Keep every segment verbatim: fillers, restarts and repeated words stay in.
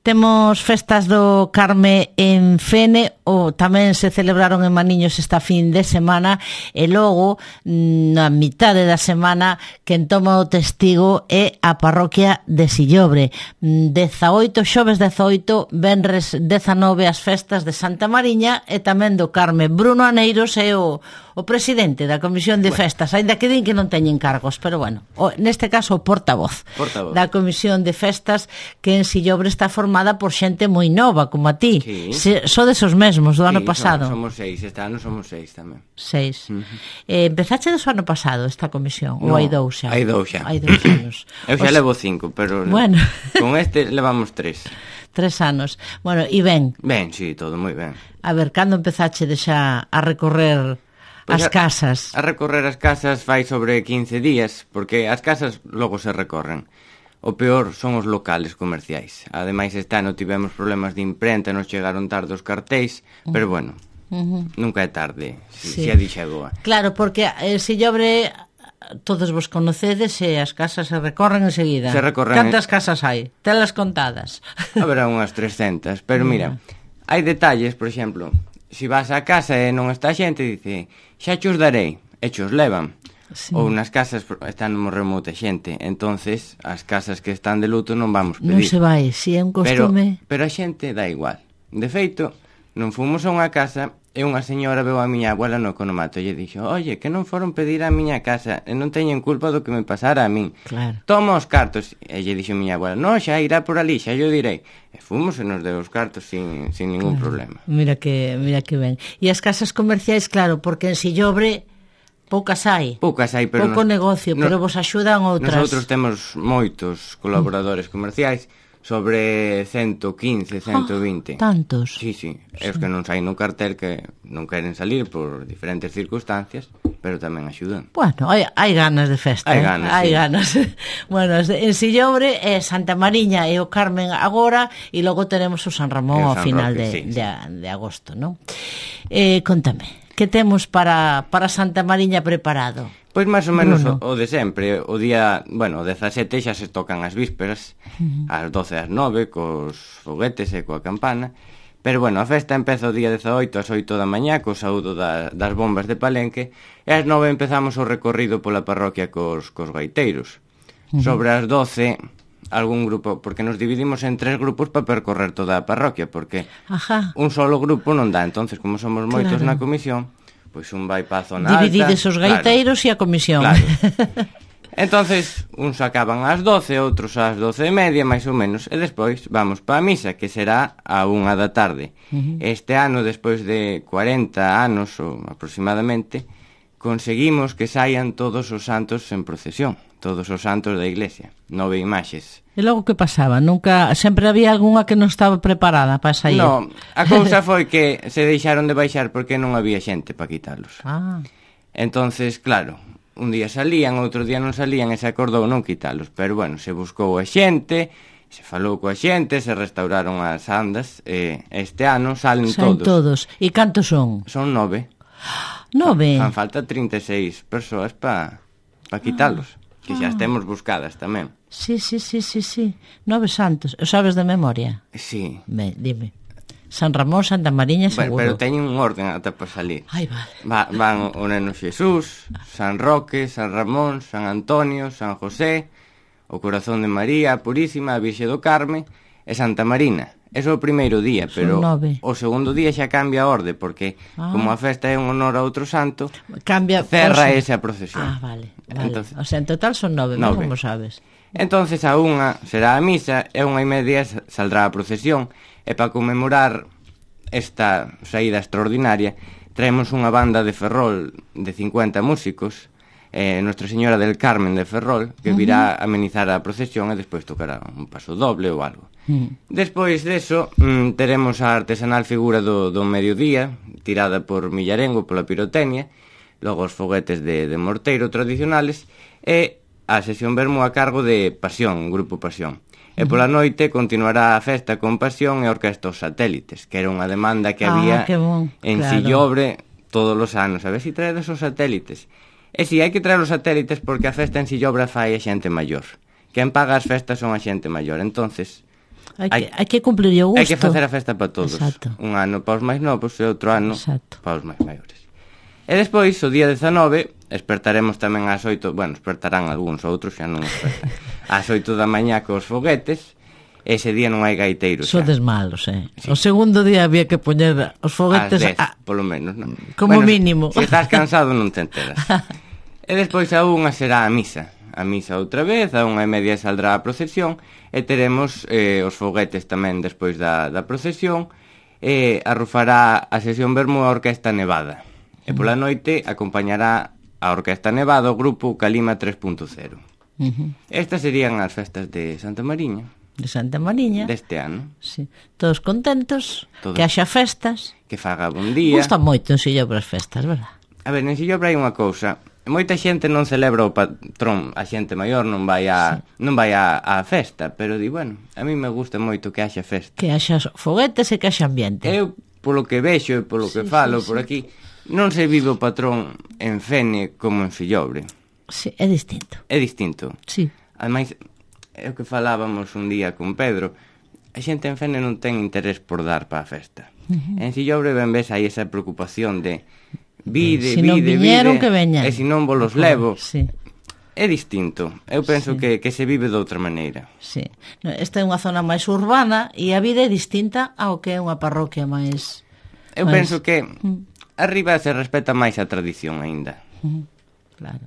Temos festas do Carme en Fene, ou tamén se celebraron en Maniños esta fin de semana, e logo, na mitade da semana, quen toma o testigo é a parroquia de Sillobre. dezaoito, xoves dezaoito, venres dezanove as festas de Santa Mariña e tamén do Carme. Bruno Aneiros é o, o presidente da Comisión de Bueno. Festas, aínda que din que non teñen cargos, pero bueno, o, neste caso o portavoz, Portavoz. da Comisión de Festas, que en Sillobre está formada por xente moi nova, como a ti. Sí. Se, sodes os mesmos do Sí, ano pasado. Somos, somos seis, este ano somos seis tamén. Seis. Uh-huh. Eh, empezache do ano pasado esta comisión? No, ou hai dous xa? hai dous xa. Hai dous anos. Eu xa Os- levo cinco, pero Bueno. con este levamos tres. Tres anos. Bueno, e ben, Ben, sí, todo moi ben. a ver, cando empezache de xa a recorrer Pois as a- casas? A recorrer as casas fai sobre quince días, porque as casas logo se recorren. O peor son os locales comerciais. Ademais, este ano tivemos problemas de imprenta, nos chegaron tarde os cartéis, pero bueno, Uh-huh. nunca é tarde, si, Sí. si a dixa é boa. Claro, porque eh, Sillobre todos vos conocedes e as casas se recorren enseguida. Se recorren- Cantas casas hai? Telas contadas. Haberá unhas trescentas, pero mira, hai detalles, por exemplo, se vas á casa e non está a xente, dice, xa chos darei, e chos levan. Sí. Ou nas casas están moi remota xente, entonces as casas que están de luto non vamos Non pedir. se vai, si é un Pero, costume. pero a xente dá igual. De feito, non fomos a unha casa e unha señora veu a miña abuela no economato e lle dixo, oye, que non foron pedir a miña casa e non teñen culpa do que me pasara a min. Claro. Toma os cartos. E lle dixo a miña abuela, no, xa irá por ali, xa yo direi. E fomos e nos deu os cartos sin, sin ningún problema. Mira que, mira que ben. E as casas comerciais, claro, porque en Sillobre poucas hai. Poucas hai, pero... Pouco nos- negocio, nos- pero vos axudan outras. Nosotros temos moitos colaboradores comerciais, sobre ciento quince, ciento vinte. Ah, tantos. Sí, sí. É os que non saen no cartel que non queren salir por diferentes circunstancias, pero tamén axudan. Bueno, hai, hai ganas de festa. Hai eh? ganas, hai sí. ganas. Bueno, en Sillobre é Santa Mariña e o Carmen agora, e logo teremos o San Ramón E o ao San final Roque, de, sí, de, de agosto, non? Eh, contame, que temos para, para Santa Mariña preparado? Pois máis ou menos o, Bruno. o de sempre. O día, bueno, o dezasete xa se tocan as vísperas, uh-huh. ás doce ás nove, cos foguetes e coa campana. Pero bueno, a festa empeza o día dezaoito ás oito da mañá, co saúdo da, das bombas de Palenque, e ás nove empezamos o recorrido pola parroquia cos, cos gaiteiros. Uh-huh. Sobre as doce, algún grupo, porque nos dividimos en tres grupos para percorrer toda a parroquia, porque Ajá. un solo grupo non dá. Entonces, como somos moitos Claro. na comisión, pois un vai pa a zona alta. Dividides os gaiteiros e a comisión. Claro. Entonces, uns acaban ás doce, outros ás doce e media, máis ou menos, e despois vamos pa a misa, que será a unha da tarde. Uh-huh. Este ano, despois de cuarenta anos, ou aproximadamente, conseguimos que saian todos os santos en procesión, todos os santos da iglesia, nove imaxes. E logo que pasaba? Nunca, sempre había algunha que non estaba preparada para sair. No, a cousa foi que se deixaron de baixar porque non había xente para quitalos. Ah. Entonces, claro, un día salían, outro día non salían e se acordou non quitalos. Pero bueno, se buscou a xente, se falou coa xente, se restauraron as andas e este ano salen Saen todos. todos. E cantos son? Son nove. Nove. Fan falta trinta e seis persoas para pa quitalos, que xa as temos buscadas tamén. Sí, sí, sí, sí, sí. Nove santos. O sabes de memoria? Sí. Ben, dime. San Ramón, Santa Mariña, Bueno, seguro. pero teñen un orden ata para salir. Ai, vale. Va, van o Neno Xesús, San Roque, San Ramón, San Antonio, San José, o Corazón de María, a Purísima, a Virxe do Carme e Santa Marina. Eso é o primeiro día, pero nove. o segundo día xa cambia a orde, porque Ah. como a festa é en honor a outro santo, Cambia. cerra o sea- esa procesión. Ah, vale. vale. Entonces- O sea, en total son nove, Nove. como sabes. Entonces a unha será a misa e a unha e media saldrá a procesión, e para conmemorar esta saída extraordinaria traemos unha banda de Ferrol de cincuenta músicos, eh, Nuestra Señora del Carmen de Ferrol, que virá a amenizar a procesión e despois tocará un paso doble ou algo. Mm. Despois deso, mm, teremos a artesanal figura do, do mediodía, tirada por Millarengo pola pirotecnia, logo os foguetes de, de morteiro tradicionales, e a sesión vermú a cargo de Pasión, Grupo Pasión. E pola noite continuará a festa con Pasión e a Orquesta Os Satélites, que era unha demanda que Ah, había que bon, en claro. Sillobre todos os anos. A ver se traedes os satélites. E si, hai que traer os satélites porque a festa en Sillobre fai a xente maior. Quen paga as festas son a xente maior. Entonces, Hai que, hai que cumplir o gusto. Hai que facer a festa para todos. Exacto. Un ano para os máis novos e outro ano Exacto. para os máis maiores. E despois, o día dezanove, despertaremos tamén ás oito, bueno, despertarán algúns, outros xa non despertan, ás oito da mañá cos foguetes. Ese día non hai gaiteiros. Sodes malos, eh? Sí. O segundo día había que poñer os foguetes ás dez, a... polo menos, non? Como bueno, mínimo. Se estás cansado non te enteras. E despois a unha será a misa. A misa outra vez, a unha e media saldrá a procesión e teremos eh, os foguetes tamén despois da, da procesión e arrufará a sesión vermú a Orquesta Nevada. E pola noite acompañará a Orquesta Nevada o grupo Calima tres punto cero. Uh-huh. Estas serían as festas de Santa Mariña. De Santa Mariña. Deste ano. Sí. Todos contentos, Todos. Que haxa festas. Que faga bon día. Gusta moito en Sillobra as festas, verdad? A ver, en Sillobra hai unha cousa. Moita xente non celebra o patrón, a xente maior non vai a sí. non vai a, a festa, pero di, bueno, a mí me gusta moito que haxa festa. Que haxa foguetes e que haxa ambiente. Eu, polo que vexo e polo que sí, falo sí, por sí. aquí, non se vive o patrón en Fene como en Fillobre. Sí, é distinto. É distinto. Sí. Ademais, é o que falábamos un día con Pedro, a xente en Fene non ten interés por dar para a festa. Uh-huh. En Fillobre ben ves aí esa preocupación de vide, si non vide, viñeron, vide, que veñan. E se non vos los levo. Sí. É distinto. Eu penso sí. que, que se vive de outra maneira. Sí. Esta é unha zona máis urbana e a vida é distinta ao que é unha parroquia máis... Eu máis... penso que arriba se respeta máis a tradición aínda. Claro.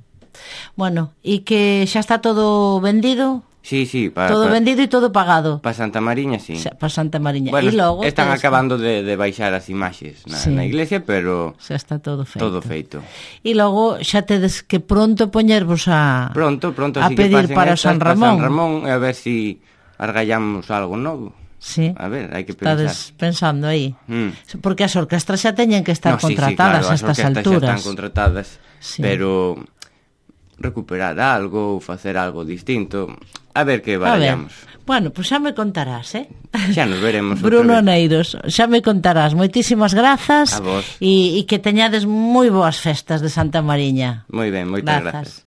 Bueno, e que xa está todo vendido... Sí, sí. Pa, todo pa, vendido e todo pagado. Para Santa Mariña, sí. Para Santa Mariña. Bueno, e logo están acabando de, de baixar as imaxes na, sí. na iglesia, pero... Xa está todo feito. Todo feito. E logo xa tedes que pronto poñervos a... Pronto, pronto. A pedir para San Ramón. Para San Ramón, e a ver si argallamos algo novo. Sí. A ver, hai que pensar. Estades pensando aí. Mm. Porque as orquestras xa teñen que estar no, sí, contratadas sí, claro, a estas alturas. As orquestras xa están contratadas, sí. pero recuperar algo ou facer algo distinto... A ver que barallamos. Bueno, pois pues xa me contarás, eh? Xa nos veremos. Bruno Neiros, xa me contarás. Moitísimas grazas. A vos. E, e que teñades moi boas festas de Santa Mariña. Moi ben, moitas grazas. grazas.